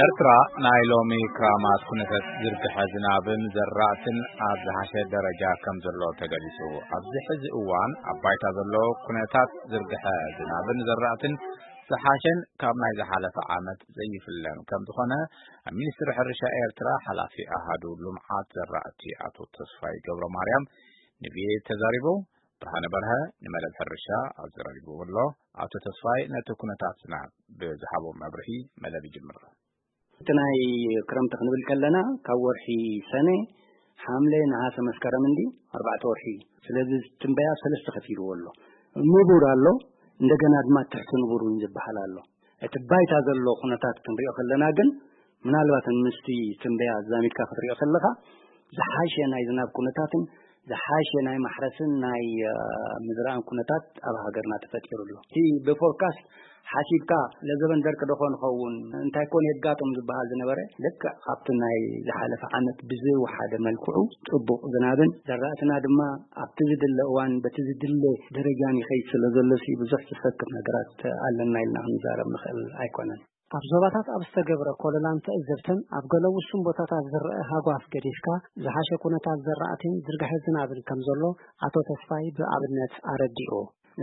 ኤርትራ ናይ ሎሚ ክራማት ኩነታት ዝርግሐ ዝናብን ዘራእትን ኣብ ዝሓሸ ደረጃ ከም ዘሎ ተገሊጹ። ኣብዚ ሕዚ እዋን ኣብ ባይታ ዘሎ ኩነታት ዝርግሐ ዝናብን ዘራእትን ዝሓሸን ካብ ናይ ዝሓለፈ ዓመት ዘይፍለን ከም ዝኾነ ኣብ ሚኒስትሪ ሕርሻ ኤርትራ ሓላፊ ኣሃዱ ልምዓት ዘራእቲ ኣቶ ተስፋይ ገብረ ማርያም ንቪኦኤ ተዛሪቦም። ብርሃነ በርሀ ንመደብ ሕርሻ ኣብ ዘራሪብዎ ኣሎ። ኣቶ ተስፋይ ነቲ ኩነታት ዝናብ ብዝሃቦ መብርሂ መደብ ይጅምር። እቲ ናይ ክረምቲ ክንብል ከለና ካብ ወርሒ ሰነ፣ ሓምለ፣ ነሃሰ፣ መስከረም እንዲ ኣርባዕተ ወርሒ እዩ። ስለዚ ትንበያ ሰለስተ ከፊልዎ ኣሎ። ንቡር ኣሎ፣ እንደገና ድማ ትሕቲ ንቡር እውን ዝበሃል ኣሎ። እቲ ባይታ ዘሎ ኩነታት ክንሪኦ ከለና ግን ምናልባት ምስቲ ትንበያ ኣዛሚድካ ክትሪኦ ከለኻ ዝሓሸ ናይ ዝናብ ኩነታትን ዝሓሸ ናይ ማሕረስን ናይ ምዝራእን ኩነታት ኣብ ሃገርና ተፈጢሩ ኣሎ። እቲ ብፎርካስት ሓሲብካ ለዘበን ደርቂ ዶ ኾን ኸውን እንታይ ኮን የጋጥም ዝበሃል ዝነበረ ልክዕ ካብቲ ናይ ዝሓለፈ ዓመት ብዝወሓደ መልክዑ ጽቡቕ ዝናብን ዘራእትና ድማ ኣብቲ ዝድለ እዋን በቲ ዝድለ ደረጃን ይኸይድ ስለ ዘሎ ሲ ብዙሕ ዝሰክፍ ነገራት ኣለና ኢልና ክንዛረብ ንኽእል ኣይኮነን። ኣብ ዞባታት ኣብ ዝተገብረ ኮለላን ትዕዝብትን ኣብ ገለ ውሱን ቦታታት ዝረአ ሃጓፍ ገዲፍካ ዝሓሸ ኩነታት ዘራእቲን ዝርግሐ ዝናብን ከም ዘሎ ኣቶ ተስፋይ ብኣብነት ኣረዲኡ።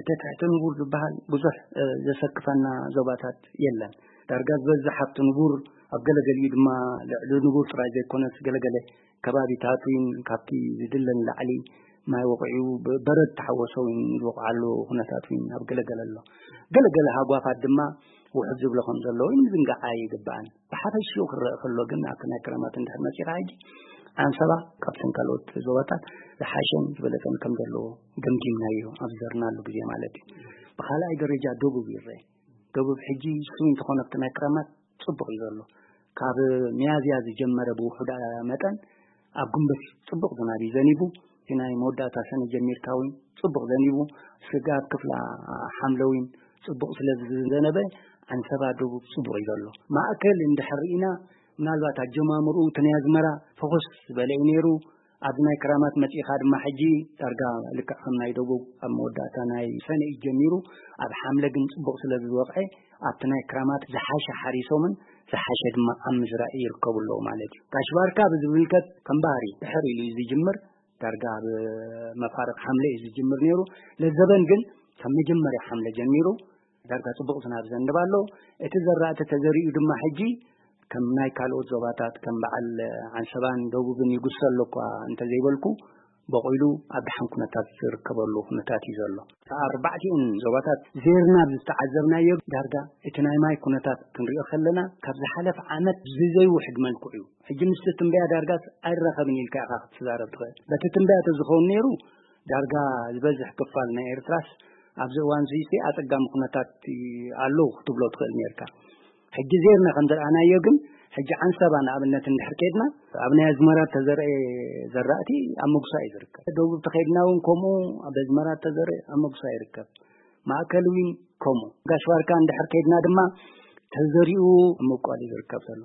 እቲ ትሕቲ ንቡር ዝበሃል ብዙሕ ዘሰክፈና ዞባታት የለን። ዳርጋ ዝበዝሕ ኣብቲ ንቡር ኣብ ገለገሊኡ ድማ ልዕሊ ንቡር ጥራይ ዘይኮነስ ገለገለ ከባቢታት እውን ካብቲ ዝድለ ንላዕሊ ማይ ወቂዑ በረድ ተሓወሶ እውን ዝወቕዓሉ ኩነታት እውን ኣብ ገለገለ ኣሎ። ገለገለ ሃጓፋት ድማ ውሕድ ዝብሎ ከም ዘሎ እውን ምዝንጋዕ ኣይግባእን። ብሓፈሽኡ ክረአ ከሎ ግን ኣብቲ ናይ ክረማት እንድሕር መፂኻ ሕጂ ኣንሰባ ካብተን ካልኦት ዞባታት ዝሓሸን ዝበለፀን ከም ዘለዎ ገምጊምናዮ ኣብ ዝዘርናሉ ግዜ ማለት እዩ። ብካልኣይ ደረጃ ደቡብ ይረአ። ደቡብ ሕጂ ስዊን ተኾነ ኣብቲ ናይ ክረማት ፅቡቕ እዩ ዘሎ። ካብ ሚያዝያ ዝጀመረ ብውሑዳ መጠን ኣብ ግንቦት ጽቡቕ ዝናብ እዩ ዘኒቡ። እቲ ናይ መወዳእታ ሰነ ጀሚርካ እውን ጽቡቕ ዘኒቡ። ስጋብ ክፍላ ሓምለ እውን ጽቡቕ ስለ ዝዘነበ ኣንሰባ ደቡብ ጽቡቕ እዩ ዘሎ። ማእከል እንድሕር ርኢና ምናልባት ኣጀማምርኡ እቲ ናይ ኣዝመራ ፍኹስ ዝበለ እዩ ነይሩ። ኣብዚ ናይ ክራማት መጺእኻ ድማ ሕጂ ዳርጋ ልክዕ ከም ናይ ደቡብ ኣብ መወዳእታ ናይ ሰነ እዩ ጀሚሩ። ኣብ ሓምለ ግን ጽቡቕ ስለ ዝወቕዐ ኣብቲ ናይ ክራማት ዝሓሸ ሓሪሶምን ዝሓሸ ድማ ኣብ ምዝራእ ይርከቡ ኣለዉ ማለት እዩ። ጋሽ ባርካ ብዝምልከት ከም ባህሪ ድሕር ኢሉ እዩ ዝጅምር። ዳርጋ ኣብ መፋርቕ ሓምለ እዩ ዝጅምር ነይሩ። ለዘበን ግን ካብ መጀመርያ ሓምለ ጀሚሩ ዳርጋ ጽቡቕ ዝናብ ዘንብ ኣሎ። እቲ ዘራእቲ ተዘሪኡ ድማ ሕጂ ከም ናይ ካልኦት ዞባታት ከም በዓል ዓንሰባን ደቡብን ይጉሰ ኣሎ እኳ እንተዘይበልኩ፣ በቑሉ ኣብ ደሓን ኩነታት ዝርከበሉ ኩነታት እዩ ዘሎ። ኣርባዕቲኡን ዞባታት ዜርና ዝተዓዘብናዮ ዳርጋ እቲ ናይ ማይ ኩነታት ክንሪኦ ከለና ካብ ዝሓለፍ ዓመት ብዘይውሕድ መልክዑ እዩ። ሕጂ ምስቲ ትንበያ ዳርጋስ ኣይራኸብን ኢልካ ኢኻ ክትዛረብ ትኽእል። በቲ ትንበያ ተዝኸውን ነይሩ ዳርጋ ዝበዝሕ ክፋል ናይ ኤርትራስ ኣብዚ እዋን እዚ ኣጸጋሚ ኩነታት ኣለዉ ክትብሎ ትኽእል ነርካ። ሕጂ ዜርና ከም ዘርኣናዮ ግን ሕጂ ዓንሰባ ንኣብነት እንድሕር ከድና ኣብ ናይ ኣዝመራ ተዘርአ ዘራእቲ ኣብ መጉሳ እዩ ዝርከብ። ደቡብ ተኸድና እውን ከምኡ ኣብ ኣዝመራ ተዘርአ ኣብ መጉሳ ይርከብ። ማእከል እውን ከምኡ። ጋሽ ባርካ እንድሕር ከድና ድማ ተዘሪኡ ኣብ ምብቋል እዩ ዝርከብ ዘሎ።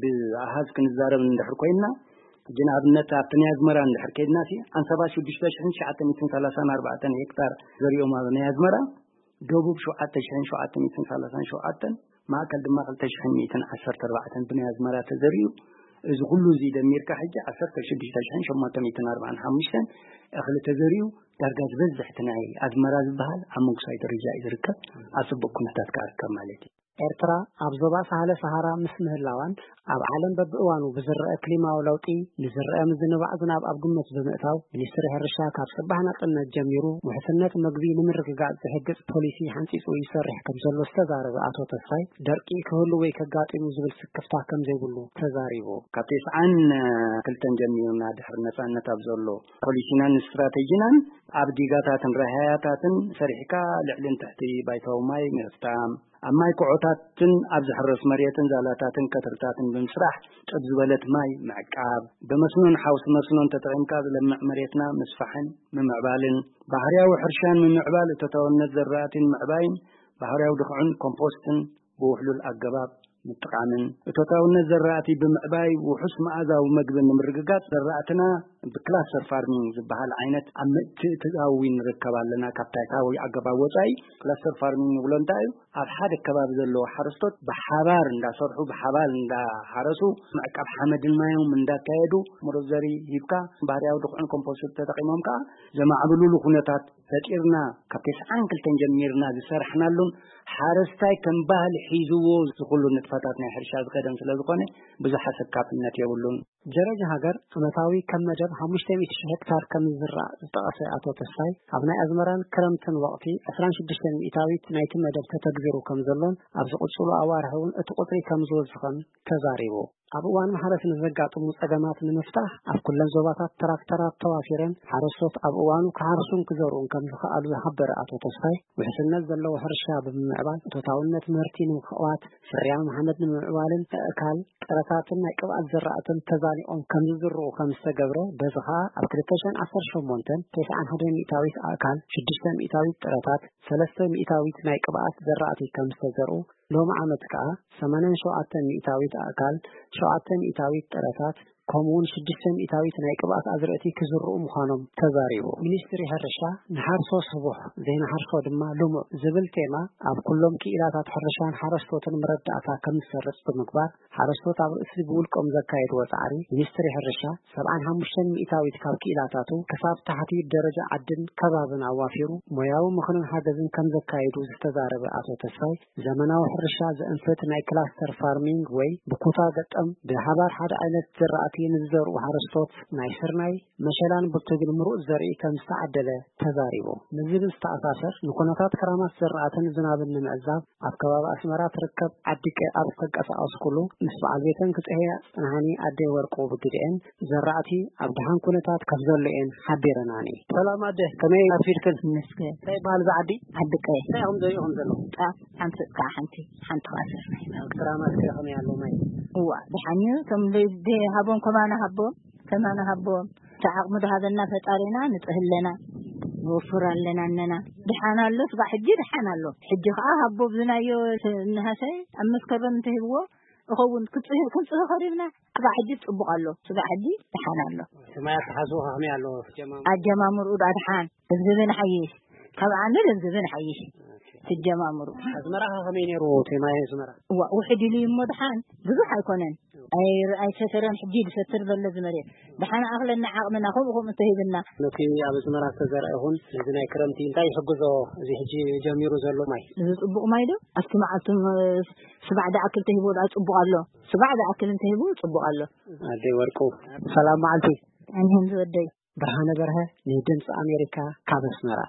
ብኣሃዝ ክንዛረብ እንድሕር ኮይንና ሕጂ ንኣብነት ኣብቲ ናይ ኣዝመራ እንድሕር ከድና ሲ ዓንሰባ ሽዱሽተ ሽሕን ትሽዓተ ሚእትን ሰላሳን ኣርባዕተን ሄክታር ዘሪኦም ኣብ ናይ ኣዝመራ ደቡብ ሸውዓተ ሽሕን ሸውዓተ ሚእትን ሰላሳን ሸውዓተን፣ ማእከል ድማ ክልተ ሽሕን ሚእትን ዓሰርተ ኣርባዕተን ብናይ ኣዝመራ ተዘሪኡ። እዚ ኩሉ እዚ ደሚርካ ሕጂ ዓሰርተ ሽዱሽተ ሽሕን ሸሞንተ ሚእትን ኣርባዓን ሓሙሽተን እኽሊ ተዘሪኡ። ዳርጋ ዝበዝሕ እቲ ናይ ኣዝመራ ዝበሃል ኣብ መንግስታዊ ደረጃ እዩ ዝርከብ። ኣብ ጽቡቕ ኩነታት ከኣ ይርከብ ማለት እዩ። ኤርትራ ኣብ ዞባ ሳህለ ሰሃራ ምስ ምህላዋን ኣብ ዓለም በብእዋኑ ብዝረአ ክሊማዊ ለውጢ ንዝረአ ምዝንባዕ ዝናብ ኣብ ግምት ብምእታው፣ ሚኒስትሪ ሕርሻ ካብ ጽባሕ ናጽነት ጀሚሩ ውሕስነት መግቢ ንምርግጋጽ ዝሕግዝ ፖሊሲ ሓንጺጹ ይሰርሕ ከም ዘሎ ዝተዛረበ ኣቶ ተስፋይ፣ ደርቂ ክህሉ ወይ ከጋጢሙ ዝብል ስክፍታ ከም ዘይብሉ ተዛሪቡ። ካብ ተስዓን ክልተን ጀሚሩና ድሕሪ ነጻነት ኣብ ዘሎ ፖሊሲናን ስትራቴጂናን ኣብ ዲጋታትን ራህያታትን ሰሪሕካ ልዕልን ትሕቲ ባይታዊ ማይ ምፍታም፣ ኣብ ማይ ኩዖታትን ኣብ ዝሕረስ መሬትን ዛላታትን ቀትርታትን ብምስራሕ ጥብ ዝበለት ማይ ምዕቃብ፣ ብመስኖን ሓውሲ መስኖን ተጠቒምካ ዝለምዕ መሬትና ምስፋሕን ምምዕባልን፣ ባህርያዊ ሕርሻን ምምዕባል እቶታውነት ዘራእቲን ምዕባይን፣ ባህርያዊ ድኹዕን ኮምፖስትን ብውሕሉል ኣገባብ ምጥቃምን፣ እቶታውነት ዘራእቲ ብምዕባይ ውሑስ መኣዛዊ መግቢ ንምርግጋጽ ዘራእትና ብክላስተር ፋርሚንግ ዝበሃል ዓይነት ኣብ ምትእትታዊ ንርከብ ኣለና። ካብ ታሪካዊ ኣገባብ ወፃኢ ክላስተር ፋርሚንግ ንብሎ እንታይ እዩ? ኣብ ሓደ ከባቢ ዘለዉ ሓረስቶት ብሓባር እንዳሰርሑ፣ ብሓባር እንዳሓረሱ፣ ምዕቃብ ሓመድን ማዮም እንዳካየዱ፣ ምሩፅ ዘርኢ ሂብካ፣ ባህርያዊ ድኹዕን ኮምፖስት ተጠቂሞም ከዓ ዘማዕብሉሉ ኩነታት ፈጢርና፣ ካብ ተስዓን ክልተን ጀሚርና ዝሰርሕናሉን፣ ሓረስታይ ከም ባህሊ ሒዝዎ ዝኹሉ ንጥፈታት ናይ ሕርሻ ዝኸደን ስለ ዝኾነ፣ ብዙሕ ኣሰካፍነት የብሉን። ጀረጅ ሃገር ዓመታዊ ከም መደብ ሓሙሽተ ሚእቲ ሺሕ ሄክታር ከም ዝዝራእ ዝጠቐሰ ኣቶ ተስፋይ፣ ኣብ ናይ ኣዝመራን ክረምትን ወቕቲ ዕስራን ሽዱሽተን ሚእታዊት ናይቲ መደብ ተተግቢሩ ከም ዘሎን ኣብ ዝቕጽሉ ኣዋርሕ እውን እቲ ቁጽሪ ከም ዝወስኽን ተዛሪቡ። ኣብ እዋን ማሕረስ ንዘጋጥሙ ጸገማት ንምፍታሕ ኣብ ኩለን ዞባታት ትራክተራት ተዋፊረን ሓረስቶት ኣብ እዋኑ ክሓርሱን ክዘርኡን ከም ዝኸኣሉ ዝሓበረ ኣቶ ተስፋይ፣ ውሕስነት ዘለዎ ሕርሻ ብምምዕባል እቶታውነት ምህርቲ ንምኽዋት፣ ፍርያም ሓመድ ንምምዕባልን ኣእካል፣ ጥረታትን ናይ ቅብኣት ዘራእትን ተዛኒቖም ከም ዝዝርኡ ከም ዝተገብረ፣ በዚ ኸኣ ኣብ ክልተ ሽሕን ዓሰርተ ሸሞንተን ተስዓን ሓደ ሚእታዊት ኣእካል፣ ሽዱሽተ ሚእታዊት ጥረታት፣ ሰለስተ ሚእታዊት ናይ ቅብኣት ዘራእቲ ከም ዝተዘርኡ፣ ሎሚ ዓመት ከኣ ሰማንያን ሸውዓተን ሚእታዊት ኣእካል፣ ሸውዓተ ሚእታዊት ጥረታት፣ ከምኡውን ሽዱሽተ ሚእታዊት ናይ ቅብኣት ኣዝርእቲ ክዝርኡ ምዃኖም ተዛሪቡ። ሚኒስትሪ ሕርሻ ንሓርሶ ስቡሕ፣ ዘይንሓርሶ ድማ ልሙዕ ዝብል ቴማ ኣብ ኩሎም ክኢላታት ሕርሻን ሓረስቶትን መረዳእታ ከም ዝሰርጽ ብምግባር፣ ሓረስቶት ኣብ ርእሲ ብውልቆም ዘካየድዎ ጻዕሪ፣ ሚኒስትሪ ሕርሻ ሰብዓን ሓሙሽተን ሚእታዊት ካብ ክኢላታቱ ክሳብ ታሕቲ ደረጃ ዓድን ከባብን ኣዋፊሩ ሞያዊ ምኽርን ሓገዝን ከም ዘካየዱ ዝተዛረበ ኣቶ ተስፋይ፣ ዘመናዊ ሕርሻ ዘእንፍት ናይ ክላስተር ፋርሚንግ ወይ ብኩታ ገጠም ብሓባር ሓደ ዓይነት ዘራእቲ ንዝዘርኡ ሓረስቶት ናይ ስርናይ፣ መሸላን ብርቱግን ምሩፅ ዘርኢ ከም ዝተዓደለ ተዛሪቡ። ምስዚ ብዝተኣሳሰር፣ ንኩነታት ክራማት ዘራእትን ዝናብን ንምዕዛብ ኣብ ከባቢ ኣስመራ ትርከብ ዓዲ ቀይ ኣብ ዝተንቀሳቐስኩሉ፣ ምስ በዓል ቤተን ክፅሕያ ዝፀንሓኒ ኣደይ ወርቁ ብግድኤን፣ ዘራእቲ ኣብ ደሓን ኩነታት ከም ዘሎ እየን ሓቢረናኒ። ሰላም ኣደ፣ ከመይ ኣርፊድክን? ይመስገን። እንታይ ይበሃል እዚ ዓዲ? ዓዲ ቀይ። እንታይ ኢኹም ዘሪእኹም ዘለኹም? ጣፍ ሓንቲ፣ ከዓ ሓንቲ፣ ሓንቲ ከዓ ስርናይ። ክራማት ከ ከመይ ኣሎ ማይ? እዋ፣ ደሓን እዩ። እቶም ደይ-፣ ደይ ሃቦም፣ ከማና ሃቦም፣ ከማና ሃቦም። እቲ ዓቕሚ ዶ ሃበና ፈጣሪና፣ ንጥህ ኣለና፣ ንወፍር ኣለና፣ እነና። ደሓን ኣሎ፣ ስጋዕ ሕጂ ደሓን ኣሎ። ሕጂ ከዓ ሃቦ ብዝናዮ ስ-፣ እንሃሰ ኣብ መስከረም እንተሂብዎ፣ እኸውን ክጽህ-፣ ክንጽህ ኸሪብና፣ ስጋዕ ሕጂ ጽቡቕ ኣሎ። ስጋዕ ሕጂ ደሓን ኣሎ። እቲ ማይ ኣተሓዝኡ ከመይ ኣሎ? ጀማም- ኣጀማምርኡ ዳ ደሓን፣ ለዝብን ሓይሽ። ካብ ዓሚ ለዝብን ሓይሽ። ትጀማምሩ። ኣዝመራ ከመይ ነይሩ? እቲ ማይ ኣዝመራ? እዋ፣ ውሕድ ኢሉ እዩ እሞ ደሓን፣ ብዙሕ ኣይኮነን። ኣይ-፣ ኣይሰተረን፣ ሕጂ ዝሰትር ዘሎ እዚ መሬት። ደሓን ኣኽለና ዓቕምና፣ ከምኡ ከምኡ ተሂብና። ነቲ ኣብ ኣዝመራ ዝተዘርአ ይኹን፣ ነዚ ናይ ክረምቲ እንታይ ይሕግዞ? እዚ ሕጂ ጀሚሩ ዘሎ ማይ? እዚ ጽቡቕ ማይ ዶ? ኣብቲ መዓልቲ፣ እ፣ ስባዕ ዝኣክል ተሂቡ ደኣ ጽቡቕ ኣሎ። ስባዕ ዝኣክል እንተሂቡ ጽቡቕ ኣሎ። ኣደይ ወርቁ፣ ሰላም መዓልቲ። ኣንሄን ዝወደይ። ብርሃነ በርሀ፣ ንድምፂ ኣሜሪካ፣ ካብ ኣስመራ።